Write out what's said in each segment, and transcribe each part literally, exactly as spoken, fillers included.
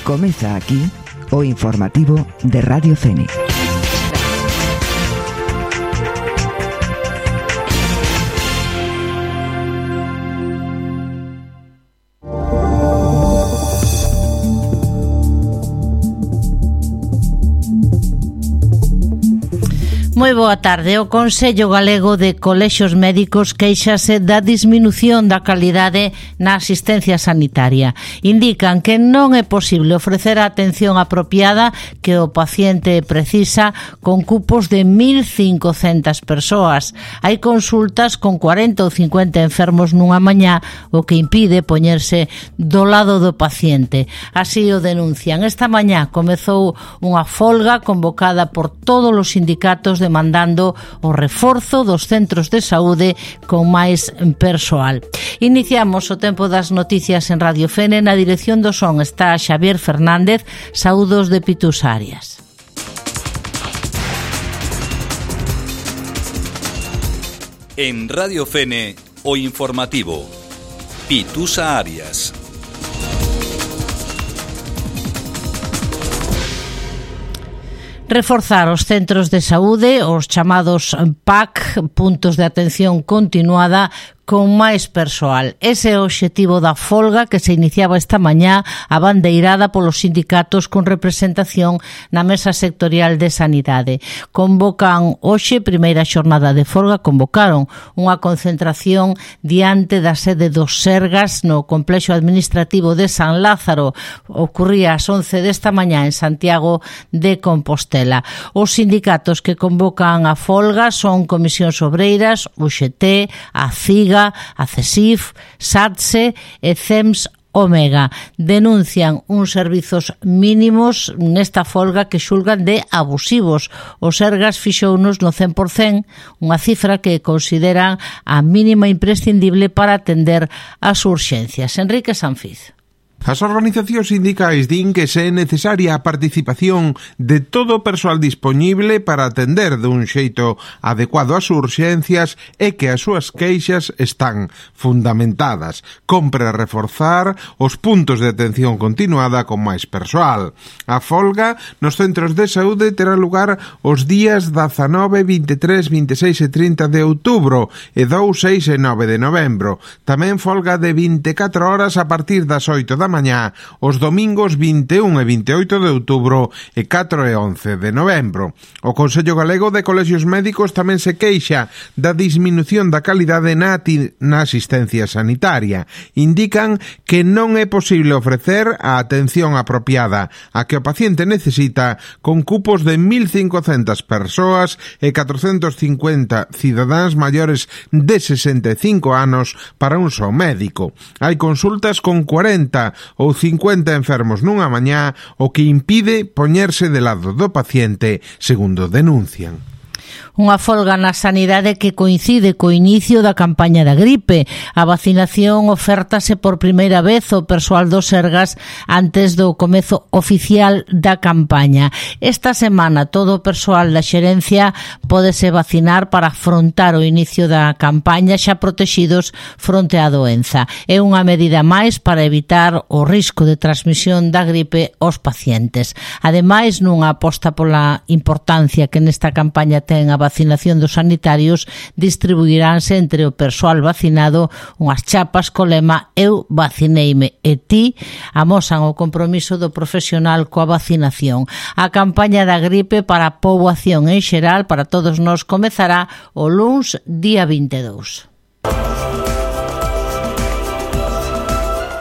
Comeza aquí o informativo de Radio Fene. Moi boa tarde. O Consello Galego de Colexios Médicos quéixase da disminución da calidade na asistencia sanitaria. Indican que non é posible ofrecer a atención apropiada que o paciente precisa con cupos de mil cincocentas persoas. Hai consultas con cuarenta ou cincuenta enfermos nunha mañá, o que impide poñerse do lado do paciente. Así o denuncian. Esta mañá comezou unha folga convocada por todos os sindicatos de demandando o reforzo dos centros de saúde con máis persoal. Iniciamos o tempo das noticias en Radio Fene. Na dirección do son está Xavier Fernández. Saúdos de Pitus Arias. En Radio Fene, o informativo Pitusa Arias. Reforzar os centros de saúde, os chamados P A C, puntos de atención continuada, con máis persoal. Ese é o obxectivo da folga que se iniciaba esta mañá, abandeirada polos sindicatos con representación na Mesa Sectorial de Sanidade. Convocan hoxe, primeira xornada de folga, convocaron unha concentración diante da sede dos Sergas no complexo administrativo de San Lázaro. Ocurría ás once desta mañá en Santiago de Compostela. Os sindicatos que convocan a folga son Comisións Obreiras, U X T, a CIGA, a CESIF, SATSE e CEMS Omega. Denuncian uns servizos mínimos nesta folga que xulgan de abusivos. Os Sergas fixounos no cen por cen, unha cifra que consideran a mínima imprescindible para atender as urxencias. Enrique Sanfiz. As organizacións sindicais din que se é necesaria a participación de todo o persoal dispoñible para atender dun xeito adecuado ás urxencias e que as súas queixas están fundamentadas. Compre reforzar os puntos de atención continuada con máis persoal. A folga nos centros de saúde terá lugar os días dezanove, vinte e tres, vinte e seis e trinta de outubro e dous, seis e nove de novembro. Tamén folga de vinte e catro horas a partir das oito da mañá, os domingos vinte e un e vinte e oito de outubro e catro e once de novembro. O Consello Galego de Colexios Médicos tamén se queixa da disminución da calidade na, na asistencia sanitaria. Indican que non é posible ofrecer a atención apropiada a que o paciente necesita con cupos de mil cincocentas persoas e catrocentos cincuenta cidadáns maiores de sesenta e cinco anos para un só médico. Hai consultas con cuarenta ou cincuenta enfermos nunha mañá, o que impide poñerse de lado do paciente, segundo denuncian. Unha folga na sanidade que coincide co inicio da campaña da gripe. A vacinación ofértase por primeira vez ao persoal dos Sergas antes do comezo oficial da campaña. Esta semana todo o persoal da xerencia pódese vacinar para afrontar o inicio da campaña xa protexidos fronte á doenza. É unha medida máis para evitar o risco de transmisión da gripe aos pacientes. Ademais, nunha aposta pola importancia que nesta campaña ten a vacinación dos sanitarios, distribuiránse entre o persoal vacinado unhas chapas co lema "Eu vacineime e ti", amosan o compromiso do profesional coa vacinación. A campaña da gripe para a poboación en xeral, para todos nós, comezará o luns día vinte e dous.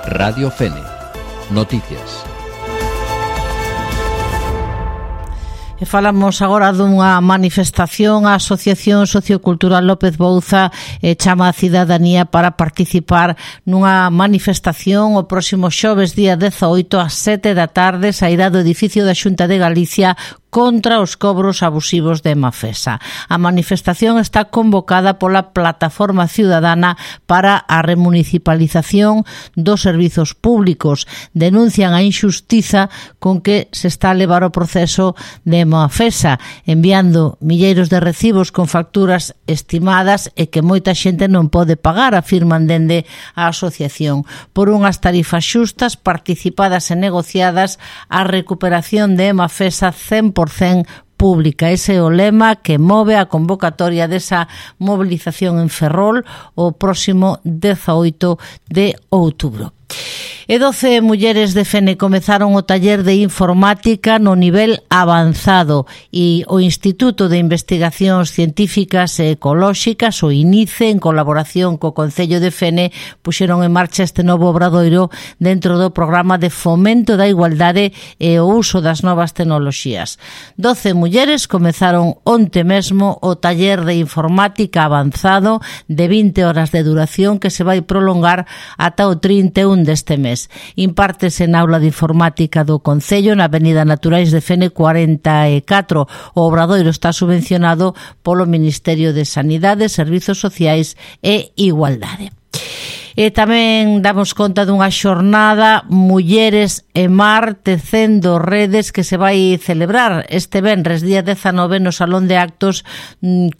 Radio Fene. Noticias. E falamos agora dunha manifestación. A Asociación Sociocultural López Bouza eh, chama a cidadanía para participar nunha manifestación o próximo xoves día dezaoito ás sete da tarde. Sairá do edificio da Xunta de Galicia contra os cobros abusivos de Emafesa. A manifestación está convocada pola Plataforma Ciudadana para a remunicipalización dos servizos públicos. Denuncian a injustiza con que se está a levar o proceso de Emafesa, enviando milleiros de recibos con facturas estimadas e que moita xente non pode pagar, afirman dende a asociación. Por unhas tarifas xustas, participadas e negociadas, a recuperación de Emafesa cen por cen pública. Ese é o lema que move a convocatoria desa movilización en Ferrol o próximo dezaoito de outubro. E doce mulleres de Fene comezaron o taller de informática no nivel avanzado e o Instituto de Investigacións Científicas e Ecolóxicas, o INICE, en colaboración co Concello de Fene, puxeron en marcha este novo obradoiro dentro do programa de fomento da igualdade e o uso das novas tecnoloxías. Doce mulleres comezaron onte mesmo o taller de informática avanzado de vinte horas de duración que se vai prolongar ata o trinta e un deste mes. Impártese na aula de informática do Concello na Avenida Naturais de Fene cuarenta e catro. O obradoiro está subvencionado polo Ministerio de Sanidade, Servizos Sociais e Igualdade. E tamén damos conta dunha xornada Mulleres e Mar tecendo redes que se vai celebrar este venres día dezanove no Salón de Actos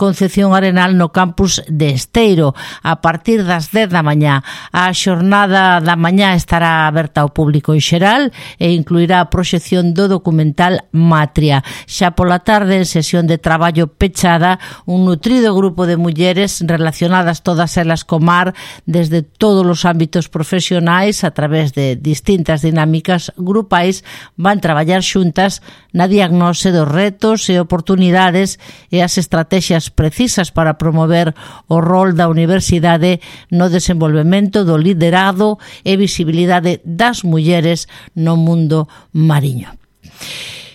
Concepción Arenal no campus de Esteiro a partir das dez da mañá. A xornada da mañá estará aberta ao público en xeral e incluirá a proxección do documental Matria. Xa pola tarde, en sesión de traballo pechada, un nutrido grupo de mulleres relacionadas todas elas co mar desde todos os ámbitos profesionais a través de distintas dinámicas grupais van traballar xuntas na diagnose dos retos e oportunidades e as estrategias precisas para promover o rol da universidade no desenvolvemento do liderado e visibilidade das mulleres no mundo mariño.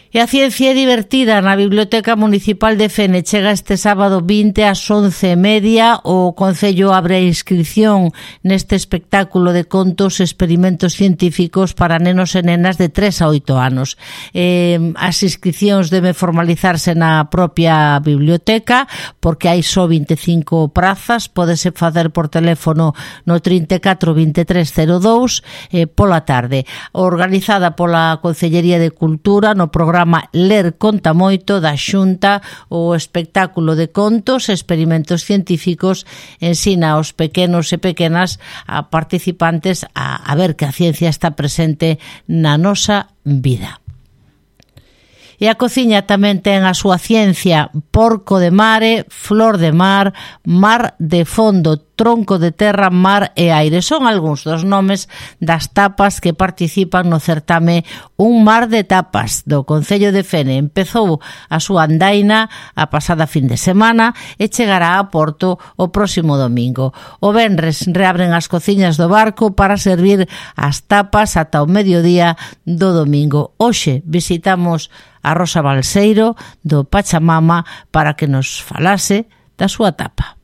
E a ciencia divertida na Biblioteca Municipal de Fene chega este sábado vinte ás once e media. O Concello abre a inscripción neste espectáculo de contos e experimentos científicos para nenos e nenas de tres a oito anos. Eh, as inscripcións deben formalizarse na propia biblioteca porque hai só vinte e cinco prazas. Pódese facer por teléfono no trinta e catro veintitrés cero dous eh, pola tarde. Organizada pola Concellería de Cultura no programa Ler Conta Moito da Xunta, o espectáculo de contos e experimentos científicos ensina aos pequenos e pequenas a participantes a, a ver que a ciencia está presente na nosa vida. E a cociña tamén ten a súa ciencia: porco de mare, flor de mar, mar de fondo, tronco de terra, mar e aire. Son algúns dos nomes das tapas que participan no certame Un Mar de Tapas do Concello de Fene. Empezou a súa andaina a pasada fin de semana e chegará a Porto o próximo domingo. O venres reabren as cociñas do barco para servir as tapas ata o mediodía do domingo. Hoxe visitamos a Rosa Balseiro do Pachamama para que nos falase da súa tapa.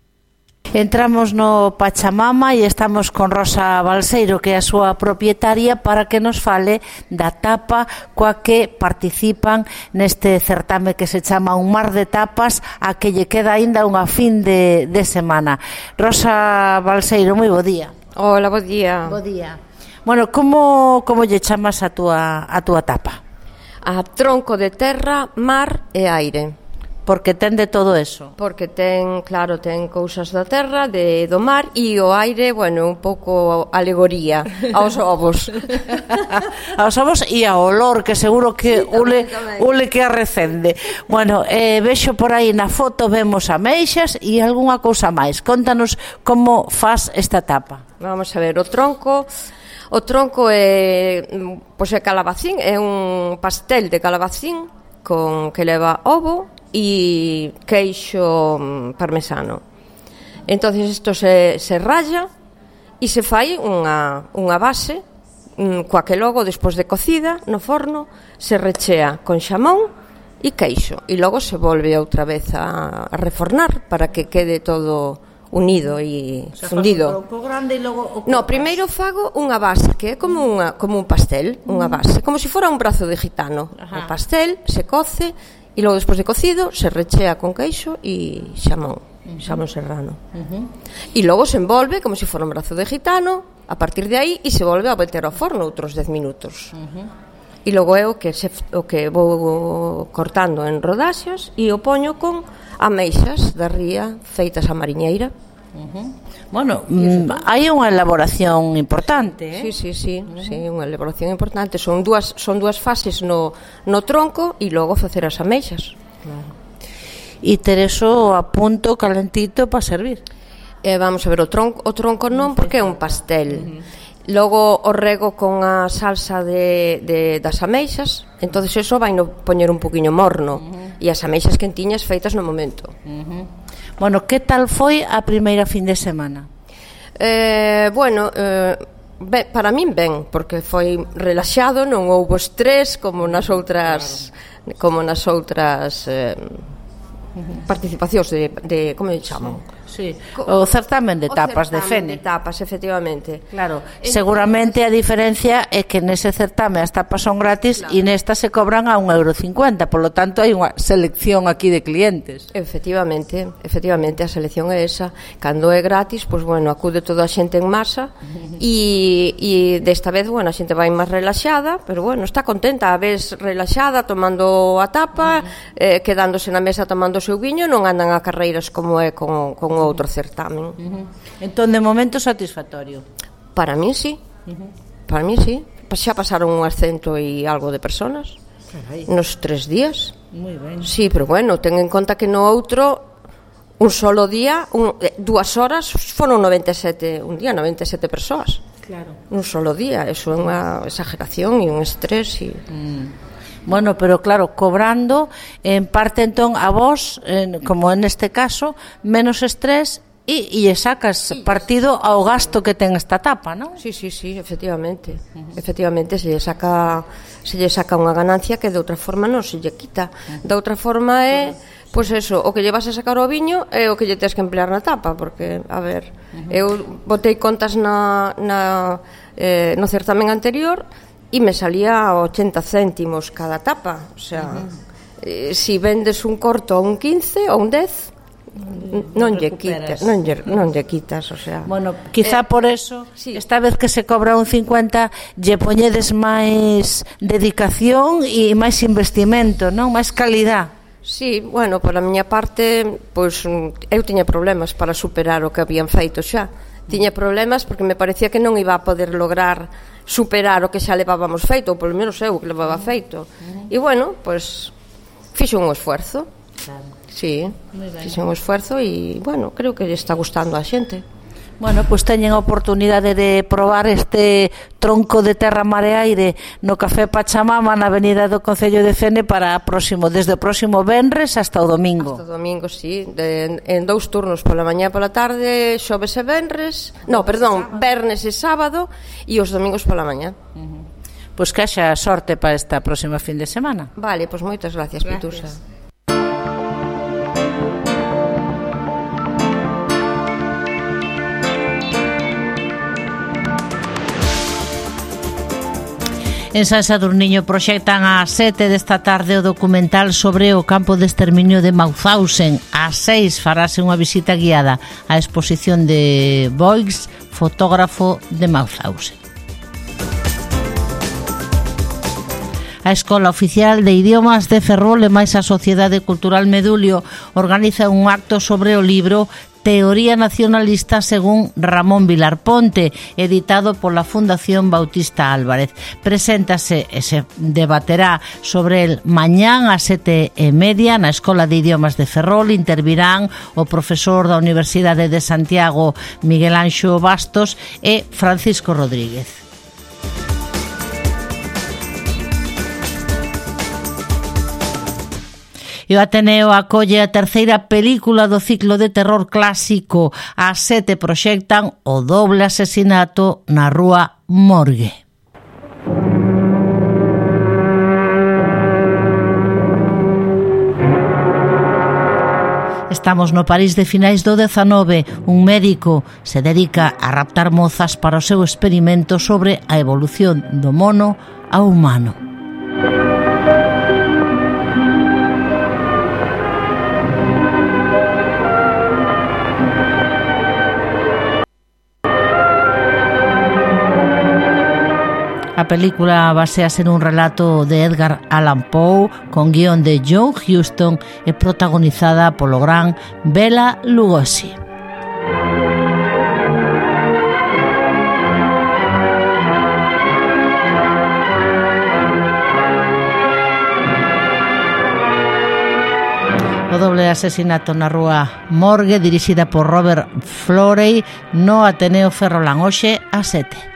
Entramos no Pachamama e estamos con Rosa Balseiro, que é a súa propietaria, para que nos fale da tapa coa que participan neste certame que se chama Un Mar de Tapas, a que lle queda aínda unha fin de, de semana. Rosa Balseiro, moi bo día. Hola, bo día. Bo día. Bueno, como, como lle chamas a túa, a túa tapa? A tronco de terra, mar e aire. Porque ten de todo eso. Porque ten, claro, ten cousas da terra, de do mar, e o aire, bueno, un pouco alegoría aos ovos. Aos ovos e ao olor, que seguro que sí, ule, ule que arrecende. Bueno, eh, vexo por aí na foto, vemos ameixas e algunha cousa máis. Contanos como faz esta tapa. Vamos a ver, o tronco... O tronco é, pois é calabacín, é un pastel de calabacín con que leva ovo e queixo parmesano. Entonces isto se, se ralla e se fai unha, unha base coa que logo, despois de cocida no forno, se rechea con xamón e queixo e logo se volve outra vez a, a refornar para que quede todo unido e o sea, fundido. O grande e logo o no, primeiro fago unha base que é como unha como un pastel, unha base, como se fora un brazo de gitano. Ajá. O pastel se coce E logo, despois de cocido, se rechea con queixo e xamón, xamón serrano. Uh-huh. E logo se envolve como se fora un brazo de gitano, a partir de aí, e se volve a meter ao forno outros dez minutos. Uh-huh. E logo é o que, se, o que vou cortando en rodaxas e o poño con ameixas da ría feitas a mariñeira. Uh-huh. Bueno, mm, hai unha elaboración importante, eh? Sí, sí, sí, uh-huh. sí, unha elaboración importante. Son dúas, son dúas fases no, no tronco e logo facer as ameixas. Claro. E ter eso a punto calentito para servir. Eh, vamos a ver, o tronco, o tronco non, porque é un pastel. Uh-huh. Logo o rego con a salsa de, de, das ameixas, entonces eso vai no poñer un poquinho morno. Uh-huh. E as ameixas quentiñas feitas no momento. Uh-huh. Bueno, que tal foi a primeira fin de semana? Eh, bueno, eh, ben, para min ben, porque foi relaxado, non houbo estrés como nas outras, claro. como nas outras eh, uh-huh. participacións de, de como lle chaman? Sí, o certamen de tapas de Fene. De tapas, efectivamente. Claro, seguramente a diferencia é que nese certame as tapas son gratis e claro. Nestas se cobran a un euro cincuenta, polo tanto hai unha selección aquí de clientes. Efectivamente, efectivamente a selección é esa. Cando é gratis, pois bueno, acude toda a xente en masa e, e desta vez, bueno, a xente vai máis relaxada, pero bueno, está contenta, a vez relaxada, tomando a tapa, uh-huh. eh, quedándose na mesa tomando o seu viño, non andan a carreiras como é con, con outro certamen. Uh-huh. Entón, de momento, satisfactorio? Para mí, sí. Uh-huh. Para mí, sí. Xa pasaron unhas cento e algo de personas. Carai. Nos tres días. Moi ben. Sí, pero bueno, ten en conta que no outro un solo día, un, eh, dúas horas foron noventa e sete, un día noventa e sete persoas. Claro. Un solo día, eso é unha exageración e un estrés e... Mm. Bueno, pero claro, cobrando en parte entón a vos, en, como en este caso, menos estrés e, e sacas partido ao gasto que ten esta tapa, non? Sí, sí, sí, efectivamente. Uh-huh. Efectivamente se lle saca se lle saca unha ganancia que de outra forma non se lle quita. Uh-huh. De outra forma é, pois pues eso, o que lle vas a sacar ao viño é o que lle tens que emplear na tapa, porque, a ver, uh-huh. eu botei contas na, na eh, no certamen anterior e me salía ochenta céntimos cada tapa, o sea, uh-huh. eh, si vendes un corto a un quince ou un dez, non lle quitas, non lle, non lle quitas, o sea. Bueno, quizá eh, por eso, sí. Esta vez que se cobra un cincuenta, lle poñedes máis dedicación e máis investimento, non? Máis calidad. Sí, bueno, pola miña parte, pois eu tiña problemas para superar o que habían feito xa. Tiña problemas porque me parecía que non iba a poder lograr superar o que xa levábamos feito, ou polo menos eu que levaba feito. E bueno, pois fixo un esforzo. Claro. Sí, fixo un esforzo e, bueno, creo que lle está gustando a xente. Bueno, pois teñen a oportunidade de probar este tronco de terra mare aire no Café Pachamama na avenida do Concello de Fene para próximo, desde o próximo venres hasta o domingo. Hasta o domingo, sí, de, en dous turnos, pola mañá e pola tarde, xoves e venres, no, perdón, vernes e sábado e os domingos pola mañá. Uh-huh. Pois que haxa sorte para esta próxima fin de semana. Vale, pois moitas gracias, gracias. Pitusa. En San Sadurniño proxectan ás sete desta tarde o documental sobre o campo de exterminio de Mauthausen. Ás seis farase unha visita guiada á exposición de Boix, fotógrafo de Mauthausen. A Escola Oficial de Idiomas de Ferrol e máis a Sociedade Cultural Medulio organiza un acto sobre o libro Teoría Nacionalista según Ramón Vilar Ponte, editado pola Fundación Bautista Álvarez. Preséntase e se debaterá sobre el mañán ás sete e media na Escola de Idiomas de Ferrol. Intervirán o profesor da Universidade de Santiago, Miguel Anxo Bastos, e Francisco Rodríguez. E o Ateneo acolle a terceira película do ciclo de terror clásico. Ás sete proxectan O doble asesinato na rúa Morgue. Estamos no París de finais do dezanove. Un médico se dedica a raptar mozas para o seu experimento sobre a evolución do mono ao humano. A película baséase nun relato de Edgar Allan Poe con guión de John Huston e protagonizada polo gran Bela Lugosi. O doble asesinato na rúa Morgue, dirixida por Robert Florey, no Ateneo Ferrolán, hoxe a sete.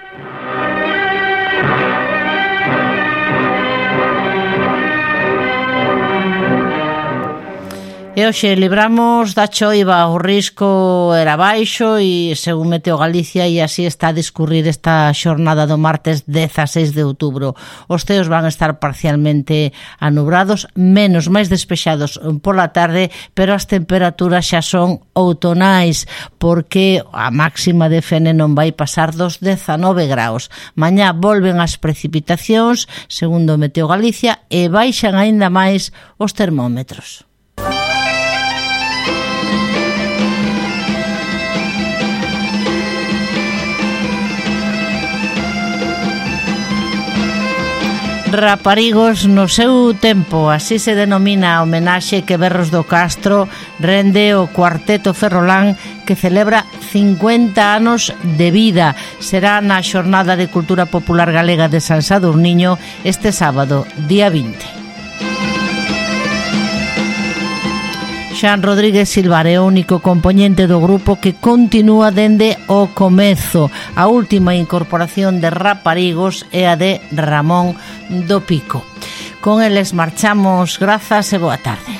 E hoxe libramos da choiva, o risco era baixo e, según Meteo Galicia, e así está a discurrir esta xornada do martes dezaseis de outubro. Os ceos van estar parcialmente anubrados, menos máis despexados pola tarde, pero as temperaturas xa son outonais, porque a máxima de Fene non vai pasar dos dezanove graus. Mañá volven as precipitacións, segundo Meteo Galicia, e baixan aínda máis os termómetros. Raparigos no seu tempo, así se denomina a homenaxe que Berros do Castro rende o Cuarteto Ferrolán, que celebra cincuenta anos de vida. Será na Xornada de Cultura Popular Galega de San Sadurniño este sábado, día vinte. Xan Rodríguez Silvar é o único compoñente do grupo que continúa dende o comezo. A última incorporación de Raparigos é a de Ramón do Pico. Con eles marchamos, grazas e boa tarde.